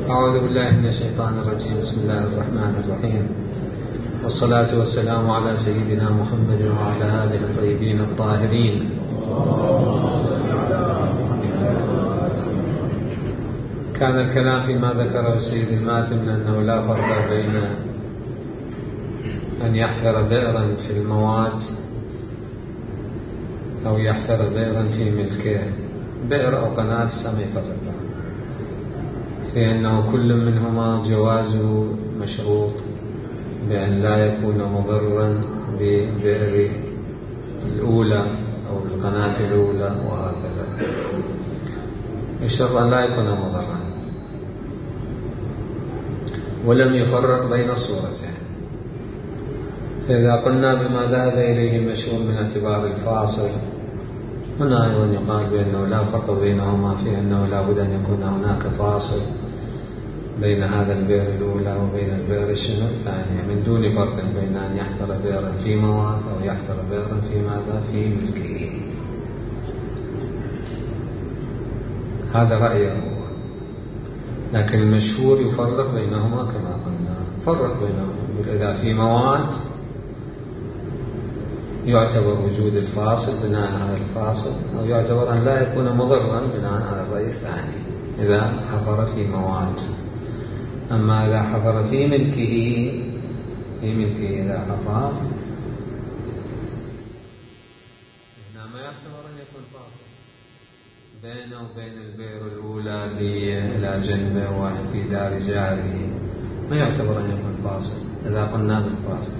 أعوذ بالله من الشيطان الرجيم. بسم الله الرحمن الرحيم، والصلاة والسلام على سيدنا محمد وعلى آله الطيبين الطاهرين. كان الكلام فيما ذكره السيد الماتم من أنه لا فرق بين أن يحفر بئرا في الموات أو يحفر بئرا في ملكه. بئر أو قناة سمي فقط، في أنه كل منهما جوازه مشروط بأن لا يكون مضرا ببئر الأولى أو القناة الأولى، وهكذا الشرط أن لا يكون مضرا. ولم يفرق بين الصورتين. فإذا قلنا بما ذهب إليه المشهور من اعتبار الفاصل، هنا أيضا يقال بأنه لا فرق بينهما، في أنه لا بد أن يكون هناك فاصل بين هذا البئر الأولى وبين البئر الثانية، من دون فرق بين أن يحفر بئرا في موات أو يحفر بئرا في ماذا؟ في ملكه. هذا رأيه، لكن المشهور يفرق بينهما كما قلنا. فرق بينهما إذا في موات يعتبر وجود الفاصل بناء على الفاصل، أو يعتبر أن لا يكون مضرا بناء على الرأي الثاني إذا حفر في موات. أما إذا حفر في ملكه إذا حفر هنا ما يعتبر أن يكون فاصل بينه وبين البئر الأولى إلى جنبه وفي دار جاره، ما يعتبر أن يكون فاصل إذا قلنا بالفاصل،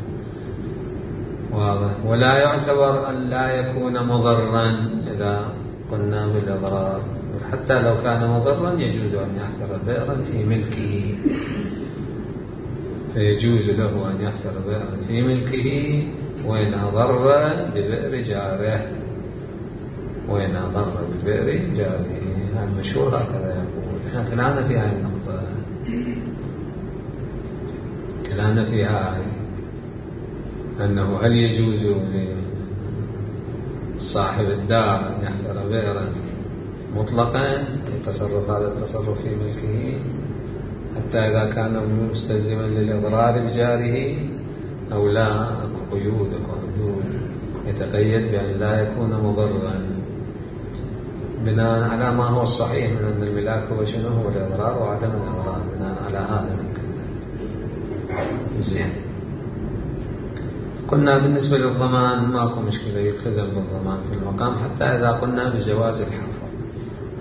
واضح. ولا يعتبر أن لا يكون مضرا إذا قلنا بالإضرار، حتى لو كان مضرا يجوز أن يحفر بئرا في ملكه، فيجوز له أن يحفر بئرا في ملكه وإن أضر ببئر جاره، وإن أضر ببئر جاره. المشهور هكذا يقول. احنا كلامنا في هذه النقطة، كلامنا فيها أنه هل يجوز لصاحب الدار أن يحفر بئرا مطلقا يتصرف هذا التصرف في ملكه حتى إذا كان مستلزما للإضرار بجاره، أو لا؟ أكو قيود، أكو حدود يتقيد بأن لا يكون مضرا بناء على ما هو الصحيح من أن الملاك هو شنو؟ هو الإضرار وعدم الإضرار، بناء على هذا زين. قلنا بالنسبة للضمان ماكو مشكلة، يلتزم بالضمان في المقام حتى إذا قلنا بجواز الحفر،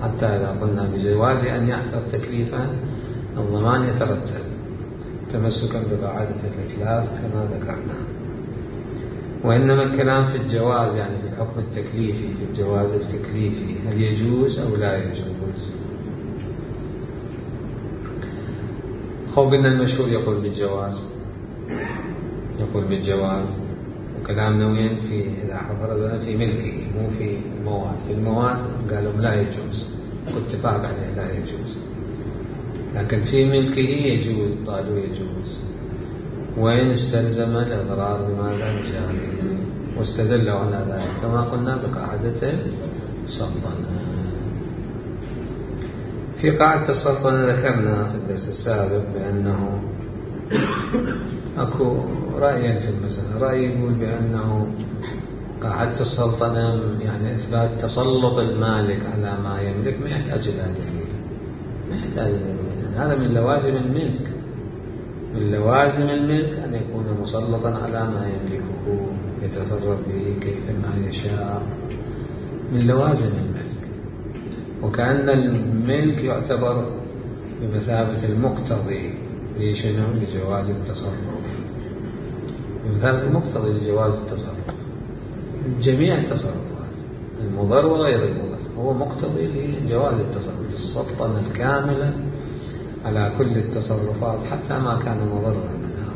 حتى إذا قلنا بجواز أن يحفر تكليفا الضمان يترتب تمسكا بقاعدة الإتلاف كما ذكرنا. وإنما الكلام في الجواز، يعني في الحكم التكليفي، في الجواز التكليفي، هل يجوز أو لا يجوز؟ قلنا المشهور يقول بالجواز، يقول بالجواز. وكلامنا وين؟ في إذا حفر في ملكه، مو في الموات. في الموات قالوا لا يجوز، اتفاق عليه لا يجوز، لكن في ملكه يجوز، قالوا يجوز وإن استلزم الإضرار بماذا؟ بجاره. واستدلوا على ذلك كما قلنا بقاعدة السلطنة. في قاعدة السلطنة ذكرنا في الدرس السابق بأنه أكو رأيين في المسألة. رأي يقول بأنه قاعدة السلطنة يعني إثبات تسلط المالك على ما يملك ما يحتاج إلى دليل، ما يحتاج إلى دليل. هذا من لوازم الملك، من لوازم الملك أن يكون مسلطا على ما يملكه، يتصرف به كيفما يشاء، من لوازم الملك. وكأن الملك يعتبر بمثابة المقتضي لشنو؟ لجواز التصرف، بمثابة المقتضي لجواز التصرف جميع التصرفات، المضر وغير المضر، هو مقتضي لجواز التصرف، السلطنة الكاملة على كل التصرفات حتى ما كان مضرا منها.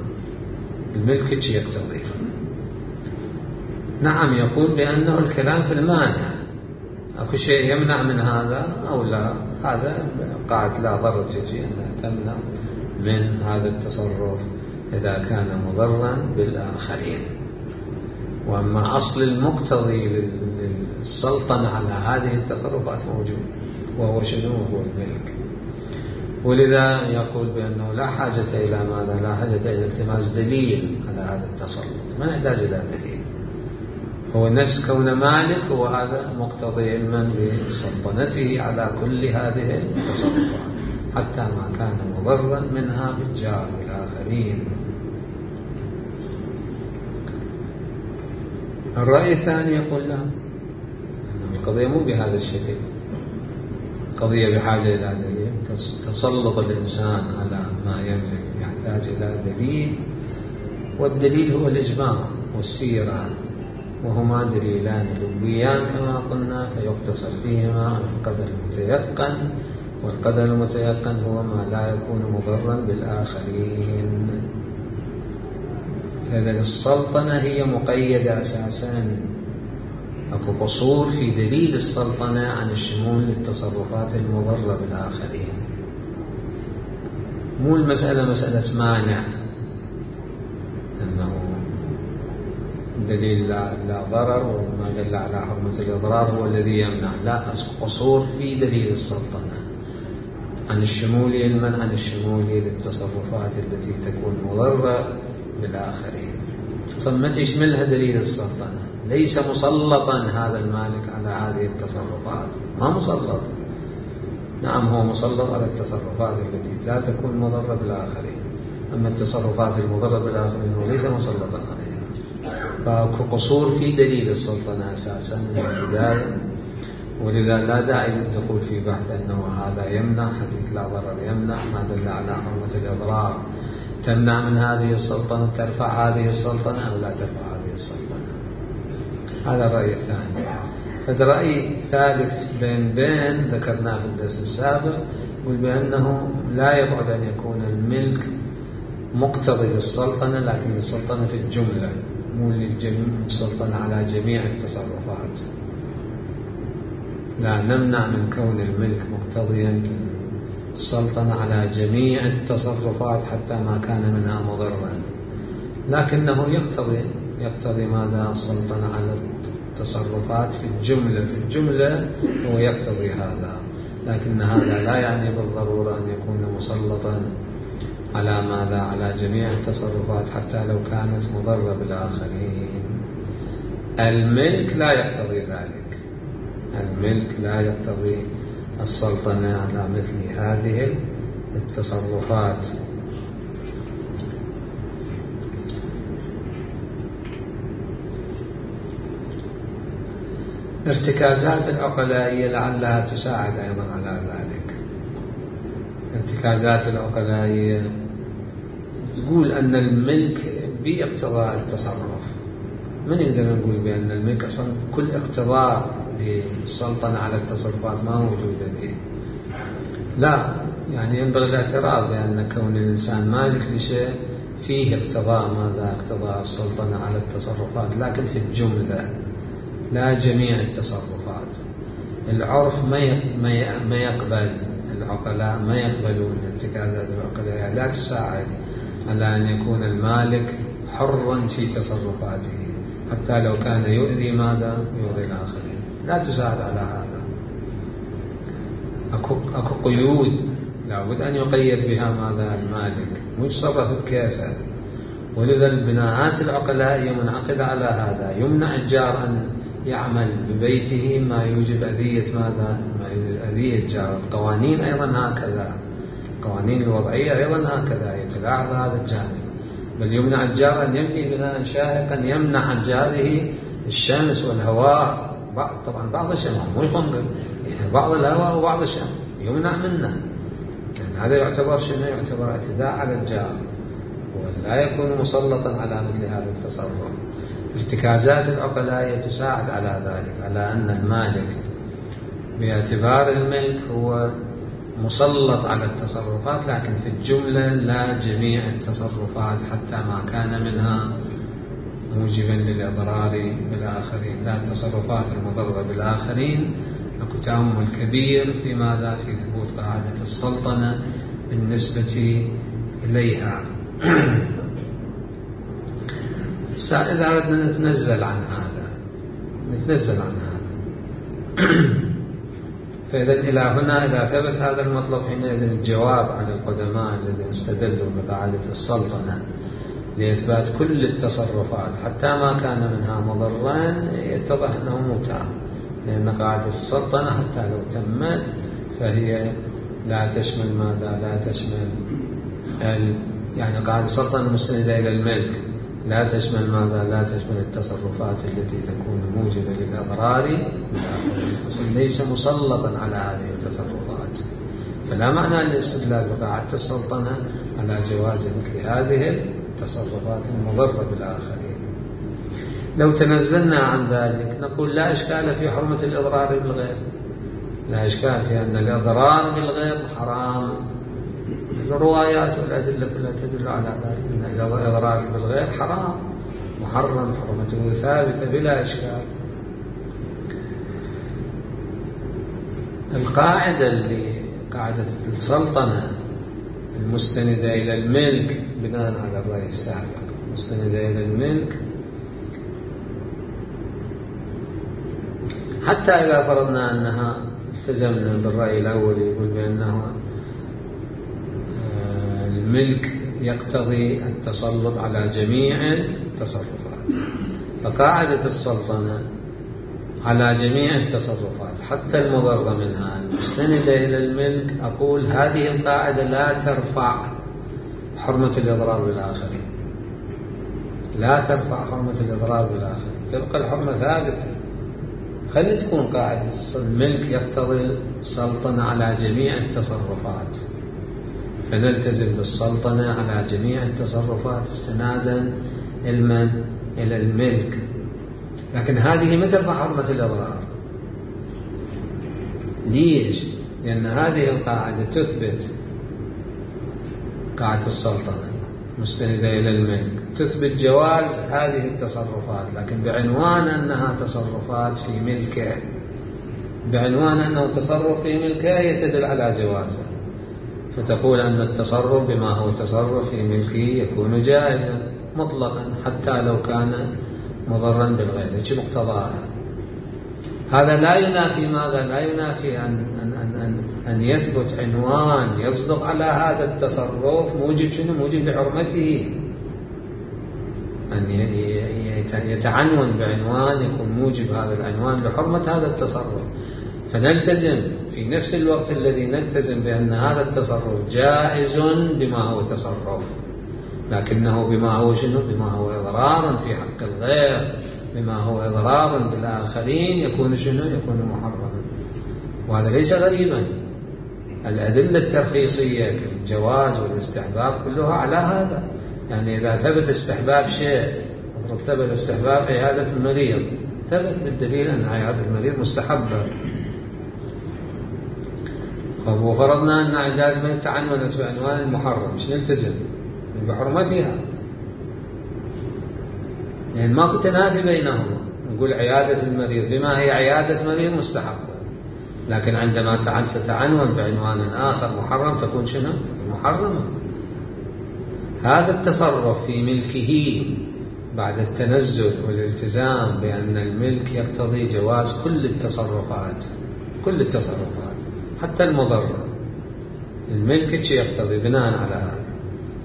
الملك يقتضي. نعم، يقول بأنه الكلام في المانع، أكو شيء يمنع من هذا أو لا؟ هذا قاعدة لا ضرر تجي أنها تمنع من هذا التصرف إذا كان مضرا بالآخرين. وأما أصل المقتضي للسلطنة على هذه التصرفات موجود، وهو شنو؟ هو الملك. ولذا يقول بأنه لا حاجة إلى ماذا؟ لا حاجة إلى التماس دليل على هذا التسلط، ما نحتاج إلى دليل، هو نفس كون مالك هو هذا مقتضي علما بسلطنته على كل هذه التصرفات حتى ما كان مضرا منها بالجار والآخرين. الرأي الثاني يقول لا، القضية مو بهذا الشكل، قضية بحاجة إلى دليل. تسلط الإنسان على ما يملك يحتاج إلى دليل، والدليل هو الإجماع والسيرة، وهما دليلان لبيان كما قلنا، فيقتصر فيهما القدر المتيقن، والقدر المتيقن هو ما لا يكون مضرا بالآخرين. فإذا السلطنة هي مقيدة أساسا، أكو قصور في دليل السلطنة عن الشمول للتصرفات المضرة بالآخرين. مو المسألة مسألة مانع، أنه دليل لا ضرر وما دل على حرمة الإضرار هو الذي يمنع، لا، قصور في دليل السلطنة عن الشمول، المنع عن الشمول للتصرفات التي تكون مضرة بالآخرين. ما تشملها دليل السلطنة، ليس مسلطا هذا المالك على هذه التصرفات، ما مسلط. نعم هو مسلط على التصرفات التي لا تكون مضرة بالآخرين، أما التصرفات المضرة بالآخرين هو ليس مسلطا عليها. فأكو قصور في دليل السلطنة أساسا من البداية، ولذا لا داعي للدخول في بحث أنه هذا يمنع، حديث لا ضرر يمنع، ما دل على حرمة الإضرار تمنع من هذه السلطنة، ترفع هذه السلطنة أو لا ترفع هذه السلطنة. هذا الرأي الثاني. فالرأي الثالث بين ذكرناه في الدرس السابق، يقول بأنه لا يبعد أن يكون الملك مقتضي للسلطنة، لكن السلطنة في الجملة، مو السلطنة على جميع التصرفات. لا نمنع من كون الملك مقتضيا السلطنة على جميع التصرفات حتى ما كان منها مضرا، لكنه يقتضي ماذا؟ السلطنة على التصرفات في الجملة هو يقتضي هذا، لكن هذا لا يعني بالضرورة أن يكون مسلطا على ماذا؟ على جميع التصرفات حتى لو كانت مضرة بالآخرين. الملك لا يقتضي ذلك، الملك لا يقتضي السلطنة على مثل هذه التصرفات. ارتكازات العقلائية لعلها تساعد أيضا على ذلك. ارتكازات العقلائية تقول أن الملك باقتضاء التصرف. من يقدر نقول بأن الملك أصلا كل اقتضاء للسلطنة على التصرفات ما موجودة به؟ لا، يعني ينبغي الاعتراف بأن كون الإنسان مالك لشيء فيه اقتضاء ماذا؟ اقتضاء السلطنة على التصرفات، لكن في الجملة لا جميع التصرفات. العرف ما يقبل، العقلاء ما يقبلون ارتكازات العقلاء، لا تساعد على أن يكون المالك حرا في تصرفاته حتى لو كان يؤذي ماذا؟ يؤذي الآخرين، لا تساعد على هذا. أكو قيود لابد أن يقيد بها ماذا؟ المالك، متصرف كيفه. ولذا البناءات العقلائية منعقدة على هذا. يمنع الجار أن يعمل ببيته ما يوجب أذية ماذا؟ ما يوجب أذية الجار. القوانين أيضا هكذا، القوانين الوضعية أيضا هكذا يتلاحظ هذا الجانب. بل يمنع الجار أن يبني بناء شاهقا يمنع عن جاره الشمس والهواء. طبعا بعض الشمس مو يخنقل، بعض الهواء وبعض الشمس يمنع منه، لأن هذا يعتبر شنو؟ يعتبر اعتداء على الجار، ولا يكون مسلطا على مثل هذا التصرف. ارتكازات العقلاء تساعد على ذلك، على أن المالك باعتبار الملك هو مسلط على التصرفات، لكن في الجملة لا جميع التصرفات حتى ما كان منها موجبا للإضرار بالآخرين. لا التصرفات المضرة بالآخرين. أكو تأمل كبير في ماذا؟ في ثبوت قاعدة السلطنة بالنسبة إليها. إذا أردنا نتنزل عن هذا فإذا إلى هنا إذا ثبت هذا المطلب حينئذ الجواب على القدماء الذين استدلوا بقاعدة السلطنة لإثبات كل التصرفات حتى ما كان منها مضرا يتضح أنه متعب، لأن قاعدة السلطنة حتى لو تمت فهي لا تشمل ماذا؟ لا تشمل يعني قاعدة السلطنة المستندة إلى الملك لا تشمل ماذا؟ لا تشمل التصرفات التي تكون موجبة للأضرار، ليس مسلطا على هذه التصرفات، فلا معنى للاستدلال بقاعدة السلطنة على جواز مثل هذه التصرفات المضرة بالآخرين. لو تنزلنا عن ذلك نقول لا إشكال في حرمة الإضرار بالغير، لا إشكال في أن الإضرار بالغير حرام، الروايات والأدلة كلها تدل على ذلك، أن الإضرار بالغير حرام محرم، حرمته ثابتة بلا إشكال. القاعدة اللي قاعدة السلطنة المستندة إلى الملك بناء على الرأي السابق، مستندة إلى الملك، حتى إذا فرضنا أنها التزمنا بالرأي الأول يقول بأنه الملك يقتضي التسلط على جميع التصرفات، فقاعدة السلطنة على جميع التصرفات حتى المضرة منها المستندة إلى الملك، أقول هذه القاعدة لا ترفع حرمة الإضرار بالآخرين، لا ترفع حرمة الإضرار بالآخرين، تبقى الحرمة ثابتة. خلي تكون قاعدة الملك يقتضي السلطنة على جميع التصرفات، فنلتزم بالسلطنة على جميع التصرفات استنادا إلى الملك، لكن هذه ما ترفع حرمة الإضرار. ليش؟ لأن هذه القاعدة تثبت قاعدة السلطنة مستندة إلى الملك، تثبت جواز هذه التصرفات، لكن بعنوان أنها تصرفات في ملكه، بعنوان أنه تصرف في ملكه يتدل على جوازه، فتقول أن التصرف بما هو تصرف في ملكه يكون جائزا مطلقا حتى لو كان مضرا بالغير، يجب مقتضاها. هذا لا ينافي ماذا؟ لا ينافي أن يثبت عنوان يصدق على هذا التصرف موجب شنو؟ موجب لحرمته، أن يتعنون بعنوان يكون موجب هذا العنوان لحرمة هذا التصرف، فنلتزم في نفس الوقت الذي نلتزم بأن هذا التصرف جائز بما هو تصرف، لكنه بما هو شنو؟ بما هو إضرار في حق الغير، بما هو إضرار بالآخرين يكون شنو؟ يكون محرما. وهذا ليس غريبا، الأدلة الترخيصية كالجواز والاستحباب كلها على هذا، يعني إذا ثبت استحباب شيء، ثبت استحباب عيادة المريض، ثبت بالدليل أن عيادة المريض مستحبة، وفرضنا أن عيادة المريض تعنونت بعنوان المحرم، مش نلتزم بحرمتها، يعني ما كنت نافي بينهما، نقول عيادة المريض بما هي عيادة مريض مستحبة، لكن عندما تتعنون بعنوان آخر محرم تكون شنو؟ محرمة. هذا التصرف في ملكه بعد التنزل والالتزام بأن الملك يقتضي جواز كل التصرفات، كل التصرفات حتى المضرة، الملك يقتضي بناء على هذا،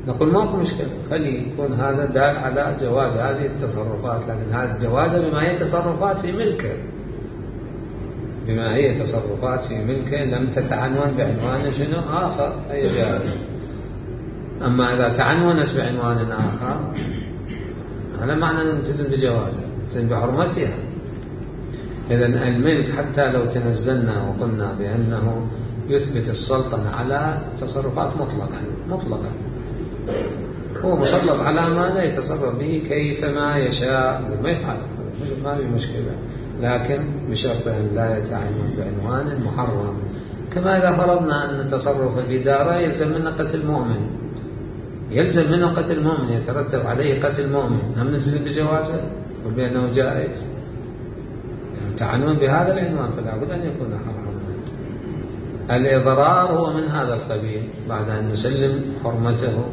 نقول ماكو مشكلة، خلي يكون هذا دال على جواز هذه التصرفات، لكن هذا الجواز بما هي تصرفات في ملكه، بما هي تصرفات في ملكه لم تتعنون بعنوان شنو آخر أي جائز. أما إذا تعنونت بعنوان آخر هذا معنى نلتزم بجوازها، نلتزم بحرمتها. إذن الملك حتى لو تنزلنا وقلنا بأنه يثبت السلطنة على تصرفات مطلقا هو مسلط على ما لا يتصرف به كيفما يشاء، ما يفعل، ما في مشكلة، لكن بشرط أن لا يتعنون بعنوان محرم. كما إذا فرضنا أن تصرف الإدارة يلزم منه قتل مؤمن، يلزم منه قتل مؤمن، يترتب عليه قتل مؤمن، هم نلزم بجوازه وبأنه جائز، تعنون بهذا العنوان فلا بد أن يكون حراما. الإضرار هو من هذا القبيل، بعد أن نسلم حرمته،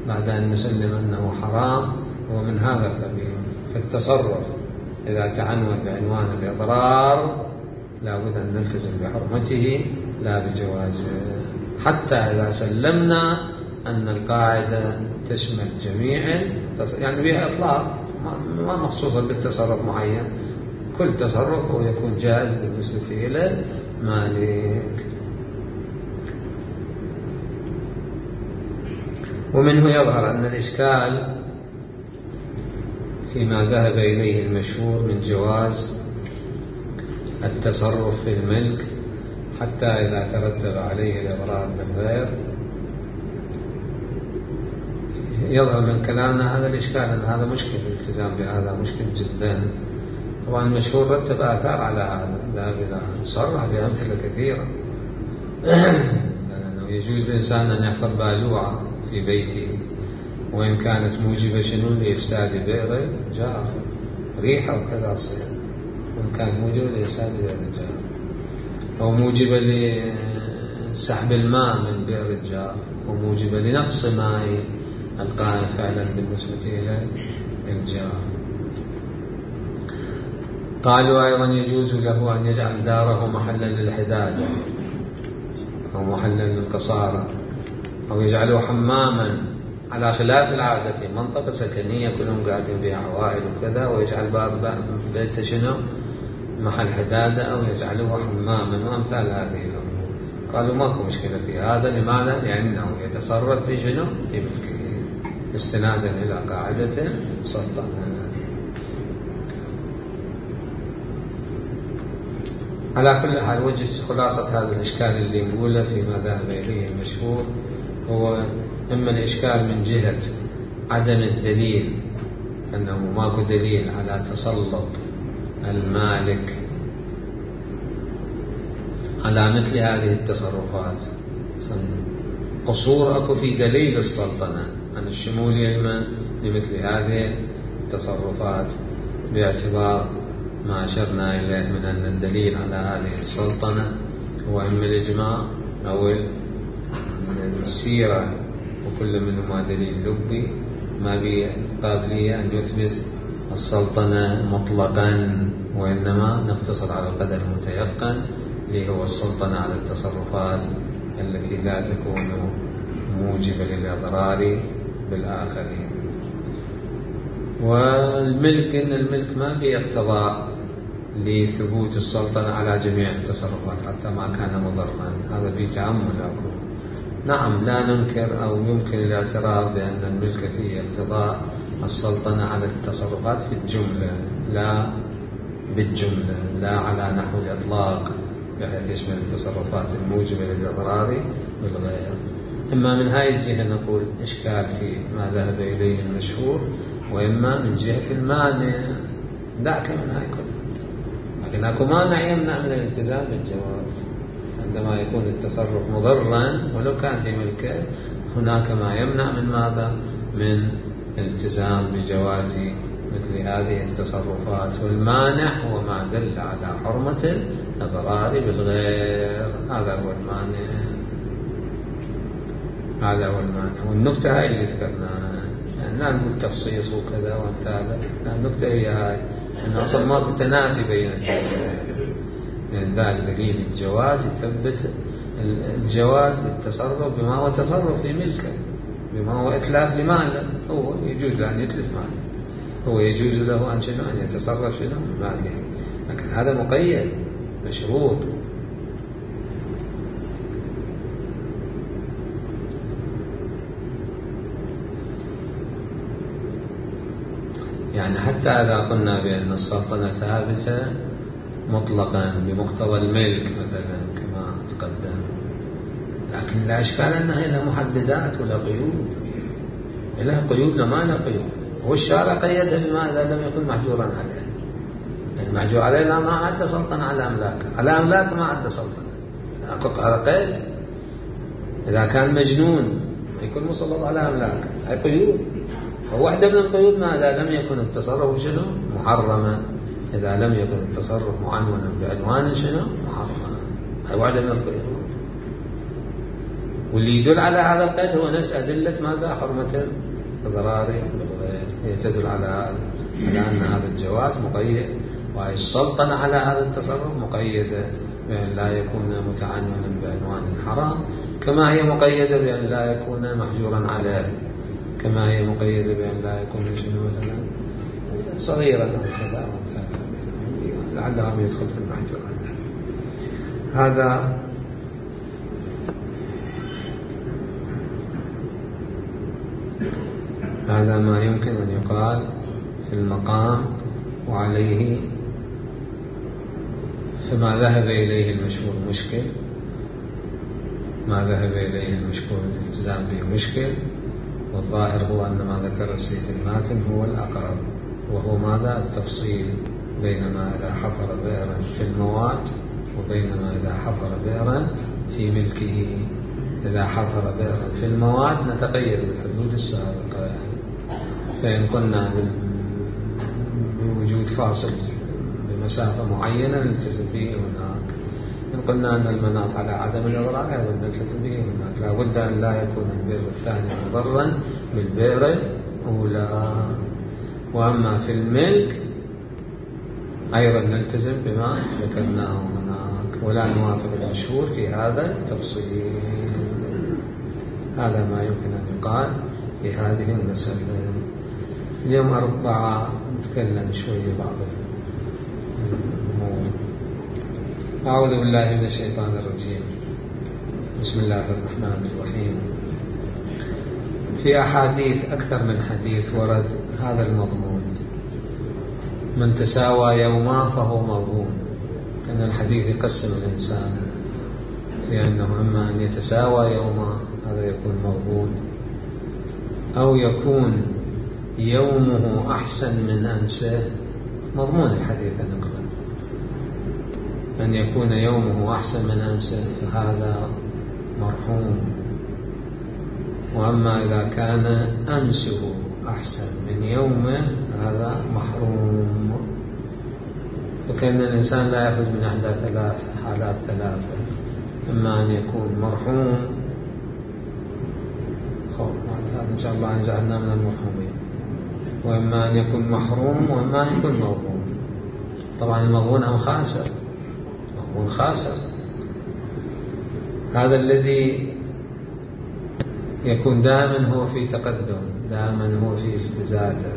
بعد أن نسلم أنه حرام، هو من هذا القبيل. فالتصرف إذا تعنون بعنوان الإضرار لابد أن نلتزم بحرمته لا بجوازه، حتى إذا سلمنا أن القاعدة تشمل جميع يعني بها إطلاق ما مخصوصا بالتصرف معين، كل تصرف هو يكون جائز بالنسبة إلى المالك. ومنه يظهر أن الإشكال فيما ذهب إليه المشهور من جواز التصرف في الملك حتى إذا ترتب عليه الإضرار بالغير. يظهر من كلامنا هذا الإشكال أن هذا مشكل، الالتزام بهذا مشكل جدا. طبعا المشهور رتب آثار على هذا، ذهب إلى صرح بأمثلة كثيرة لأنه يجوز للإنسان أن يحفظ بالوعة في بيته وإن كانت موجبة شنو لإفساد بئر جار، ريحة وكذا تصير، وإن كانت موجبة لإفساد بئر جار أو موجبة لسحب الماء من بئر الجار أو موجبة لنقص ماء القائم فعلا بالنسبة إلى الجار. قالوا أيضا يجوز له أن يجعل داره محلا للحداد أو محلا للقصارى أو يجعله حماما، على خلاف العادة في منطقة سكنية كلهم قاعدين بها عوائل وكذا، ويجعل باب بيته شنو محل حدادة أو يجعله حماما وأمثال هذه الأمور. قالوا ماكو مشكلة في هذا. لماذا؟ لأنه يتصرف في شنو في ملكه استنادا إلى قاعدة السلطنة. على كل حال وجه خلاصة هذا الإشكال اللي نقوله فيما ذهب إليه المشهور هو إما الإشكال من جهة عدم الدليل، أنه ماكو دليل على تسلط المالك على مثل هذه التصرفات، قصور أكو في دليل السلطنة عن الشمولية لمثل هذه التصرفات، باعتبار ما أشرنا إليه من أن الدليل على هذه السلطنة هو إما الإجماع أو السيرة، وكل منهما دليل لبي ما بقابلية أن يثبت السلطنة مطلقا، وإنما نقتصر على القدر المتيقن اللي هو السلطنة على التصرفات التي لا تكون موجبة للإضرار بالآخرين. والملك إن الملك ما بيقتضى لثبوت السلطنة على جميع التصرفات حتى ما كان مضرا، هذا بتأمل أكو. نعم لا ننكر أو يمكن الاعتراف بأن الملك فيه اقتضاء السلطنة على التصرفات في الجملة لا بالجملة، لا على نحو الإطلاق بحيث يشمل التصرفات الموجبة للإضرار بالغير. إما من هاي الجهة نقول إشكال في ما ذهب إليه المشهور، وإما من جهة المانع دعك من هاي كلها. لكن أكو مانع يمنع من الالتزام بالجواز عندما يكون التصرف مضرا ولو كان في ملكه، هناك ما يمنع من ماذا؟ من الالتزام بجواز مثل هذه التصرفات. والمانع هو ما دل على حرمة الإضرار بالغير، هذا هو المانع، هذا هو المانع. والنكتة هاي اللي ذكرناها، يعني لا نقول تخصيص وكذا وامثاله، النكتة هي هاي أنه أصلا ماكو تنافي بين يعني ذلك دليل الجواز يثبت الجواز بالتصرف بما هو تصرف في ملكه، بما هو إتلاف لماله، هو يجوز له أن يتلف ماله، هو يجوز له أن شنو أن يتصرف شنو ماله، لكن هذا مقيد بشروط. يعني حتى إذا قلنا بأن السلطنة ثابتة مطلقا بمقتضى الملك مثلا كما تقدم، لكن لا إشكال أنها لها محددات ولا قيود، لها قيود ما لها قيود، والشارع قيدها بما إذا لم يكن محجورا عليه. المحجور عليه لا ما عد سلطنة على أملاك، على أملاك ما عد سلطنة، هذا قيد. إذا كان مجنون يكون مسلط على أملاك، هاي قيود. وواحدة من القيود ما إذا لم يكن التصرف شنو محرما، إذا لم يكن التصرف معنونا بعنوان شنو محرما، هاي واحدة من القيود. واللي يدل على هذا القيد هو نفس أدلة ماذا؟ حرمة الإضرار بالغير، هي تدل على هذا، على أن هذا الجواز مقيد وهي السلطنة على هذا التصرف مقيدة بأن لا يكون متعنونا بعنوان حرام، كما هي مقيدة بأن لا يكون محجورا عليه، كما هي مقيدة بأن لا يكون شنو مثلا صغيرا أو كذا أو مثلا لعله يدخل في المحجورات. هذا ما يمكن أن يقال في المقام، وعليه فما ذهب إليه المشهور مشكل، ما ذهب إليه المشهور الالتزام به مشكل، والظاهر هو أن ما ذكر السيد الماتن هو الأقرب، وهو ماذا؟ التفصيل بينما إذا حفر بئرا في الموات وبينما إذا حفر بئرا في ملكه. إذا حفر بئرا في الموات نتقيد بالحدود السابقة يعني، فإن قلنا بوجود فاصل بمسافة معينة نلتزم به هناك، إن قلنا أن المناط على عدم الإضرار أيضا نلتزم به هناك، لا بد أن لا يكون البئر الثاني مضرا بالبئر الأولى. وأما في الملك أيضا نلتزم بما ذكرناه هناك، ولا نوافق المشهور في هذا التفصيل. هذا ما يمكن أن يقال في هذه المسألة. اليوم 4 نتكلم شوية بعض الأمور. أعوذ بالله من الشيطان الرجيم. بسم الله الرحمن الرحيم. في أحاديث أكثر من حديث ورد هذا المضمون: من تساوى يوما فهو مغبون. أن الحديث يقسم الإنسان في أنه إما أن يتساوى يوما هذا يكون مغبون، أو يكون يومه أحسن من أمسه. مضمون الحديث نقبل أن يكون يومه أحسن من أمسه فهذا مرحوم، وأما إذا كان أمسه أحسن من يومه هذا محروم. فكأن الإنسان لا يخرج من إحدى حالات ثلاثة: إما أن يكون مرحوم، هذا إن شاء الله أن جعلنا من المرحومين، وإما أن يكون محروم، وإما أن يكون مغبون. طبعا المغبون أو خاسر، مغبون خاسر. هذا الذي يكون دائما هو في تقدم، دائما هو في استزادة،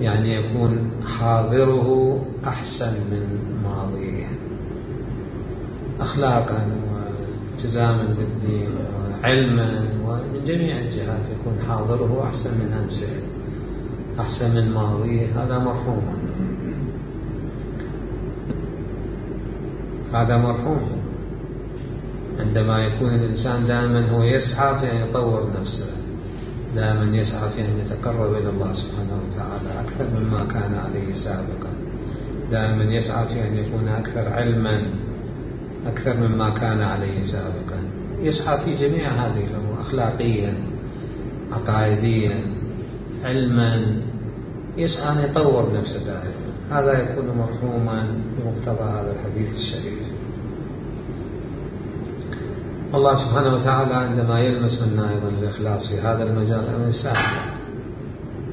يعني يكون حاضره أحسن من ماضيه أخلاقا والتزاما بالدين وعلما، ومن جميع الجهات يكون حاضره أحسن من أمسه، أحسن من ماضيه. هذا مرحوم، هذا مرحوم. عندما يكون الإنسان دائما هو يسعى في أن يطور نفسه، دائما يسعى في أن يتقرب إلى الله سبحانه وتعالى أكثر مما كان عليه سابقا، دائما يسعى في أن يكون أكثر علما أكثر مما كان عليه سابقا، يسعى في جميع هذه الأمور، أخلاقيا، عقائديا، علما، يسعى أن يطور نفسه دائما. هذا يكون مرحوما بمقتضى هذا الحديث الشريف. الله سبحانه وتعالى عندما يلمس منا أيضا الإخلاص في هذا المجال أن يساعده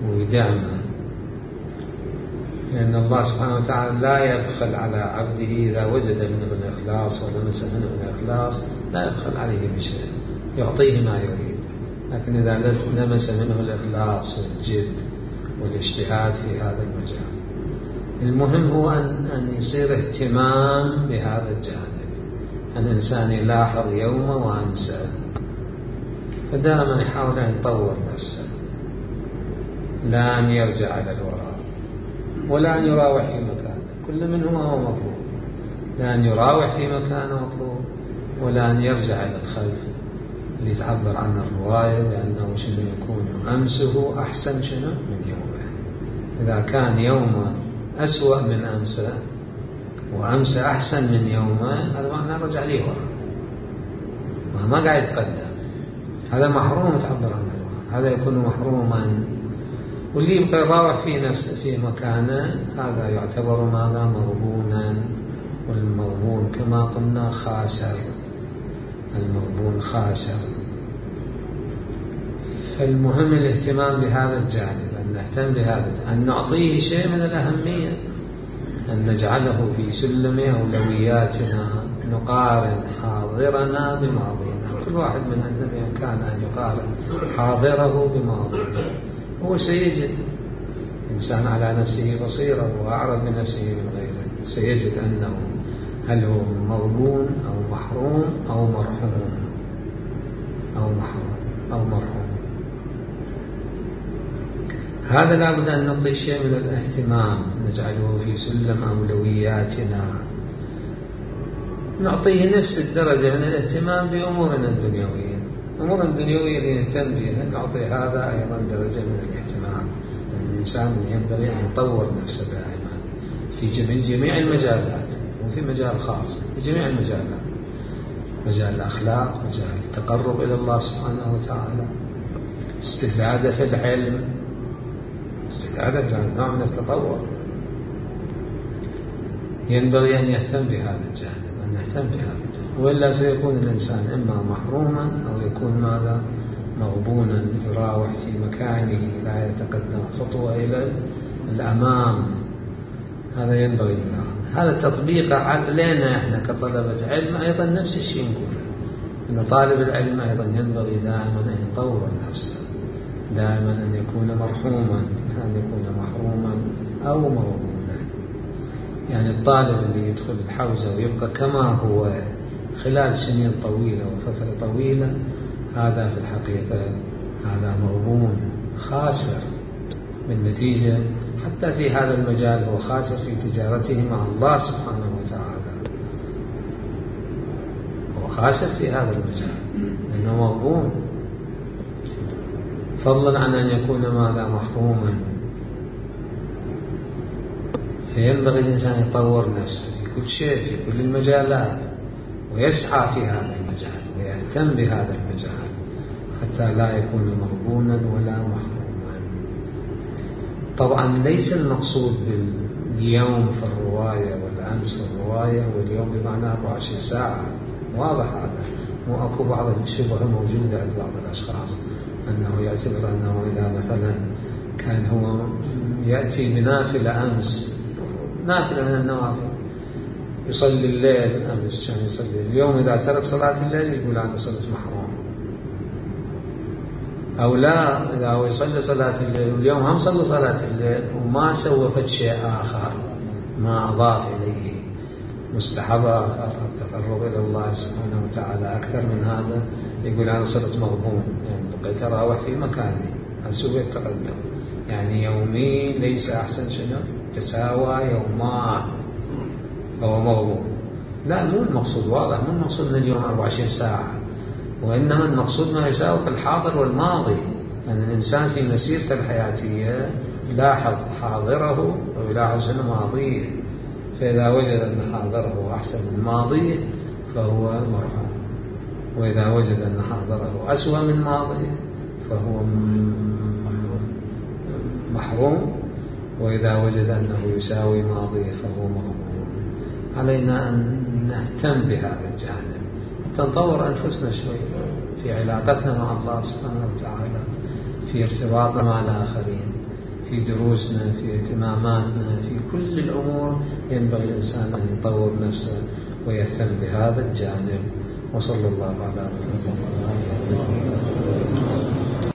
ويدعمه، لأن الله سبحانه وتعالى لا يبخل على عبده إذا وجد منه الإخلاص ولمس منه الإخلاص، لا يبخل عليه بشيء، يعطيه ما يريد. لكن إذا لمس منه الإخلاص والجد والاجتهاد في هذا المجال، المهم هو أن يصير اهتمام بهذا الجانب، الإنسان يلاحظ يومه وأمسه، فدائما يحاول أن يطور نفسه، لا أن يرجع على الوراء ولا أن يراوح في مكانه، كل منهما هو مطلوب، لا أن يراوح في مكانه مطلوب، ولا أن يرجع إلى الخلف اللي تعبر عنه الرواية بأنه شنو يكون أمسه أحسن شنو من يومه. إذا كان يومه أسوأ من أمسه وأمس أحسن من يومه، هذا معناه رجع ليه وراء، ما قاعد يتقدم، هذا محروم تعبر عنه، هذا يكون محروما. واللي يبقى يراوح في نفسه في مكانه هذا يعتبر ماذا؟ مغبونا. والمغبون كما قلنا خاسر، المغبون خاسر. فالمهم الاهتمام بهذا الجانب، أن نهتم بهذا، أن نعطيه شيء من الأهمية، أن نجعله في سلم أولوياتنا، نقارن حاضرنا بماضينا. كل واحد منا بإمكانه أن يقارن حاضره بماضيه، هو سيجد إنسان على نفسه بصيرة وأعرض من نفسه من غيره، سيجد أنه هل هو مغبون أو محروم أو مرحوم أو مرحوم. هذا لابد أن نعطي شيء من الاهتمام، نجعله في سلم أولوياتنا، نعطيه نفس الدرجة من الاهتمام بأمورنا الدنيوية. أمور الدنيوية اللي نهتم بها نعطي هذا أيضا درجة من الاهتمام، لأن الإنسان ينبغي أن يطور نفسه دائما في جميع المجالات، وفي مجال خاص في جميع المجالات، مجال الأخلاق، مجال التقرب إلى الله سبحانه وتعالى، استزادة في العلم، نوع من التطور. ينبغي أن يهتم بهذا الجانب، أن نهتم بهذا الجانب، وإلا سيكون الإنسان إما محروما أو يكون ماذا؟ مغبونا، يراوح في مكانه لا يتقدم خطوة إلى الأمام. هذا ينبغي منه. هذا تطبيق علينا إحنا كطلبة علم أيضا نفس الشيء نقوله، أن طالب العلم أيضا ينبغي دائما أن يطور نفسه، دائما أن يكون مرحوما، أن يكون محروما أو مغبونا. يعني الطالب اللي يدخل الحوزة ويبقى كما هو خلال سنين طويلة وفترة طويلة، هذا في الحقيقة هذا مغبون، خاسر بالنتيجة. حتى في هذا المجال هو خاسر في تجارته مع الله سبحانه وتعالى، هو خاسر في هذا المجال لأنه مغبون، فضلا عن أن يكون ماذا؟ محروما. فينبغي الإنسان يطور نفسه في كل شيء، في كل المجالات، ويسعى في هذا المجال ويهتم بهذا المجال حتى لا يكون مغبونا ولا محروما. طبعا ليس المقصود باليوم في الرواية والأمس في الرواية واليوم بمعنى 24 ساعة، واضح هذا، مو أكو بعض الشبه موجودة عند بعض الأشخاص أنه يعتبر أنه إذا مثلا كان هو يأتي بنافلة أمس، نافلة من النوافل، يصلي الليل أمس كان يصلي، اليوم إذا ترك صلاة الليل يقول أنا صرت محروم. أو لا، إذا هو يصلي صلاة الليل واليوم هم صلى صلاة الليل وما سوى فد شيء آخر، ما أضاف إليه مستحب آخر أو تقرب إلى الله سبحانه وتعالى أكثر من هذا، يقول أنا صرت مغبون، يعني بقيت أراوح في مكاني، أسوي التقدم، يعني يومي ليس أحسن شنو تساوى يومان، فهو مغبون. لا، مو المقصود، واضح، مو المقصود من اليوم 24 ساعة، وإنما المقصود ما يساوي الحاضر والماضي. لأن الإنسان في مسيرته الحياتية يلاحظ حاضره ويلاحظ شنو ماضيه، فإذا وجد أن حاضره أحسن من ماضيه فهو مرحوم، وإذا وجد أن حاضره أسوأ من ماضيه فهو محروم، وإذا وجد أنه يساوي ماضيه فهو مغبون. علينا أن نهتم بهذا الجانب حتى نطور أنفسنا شوي في علاقتنا مع الله سبحانه وتعالى، في ارتباطنا مع الآخرين، في دروسنا، في اهتماماتنا، في كل الأمور ينبغي الإنسان أن يطور نفسه ويهتم بهذا الجانب. وصلى الله على محمد.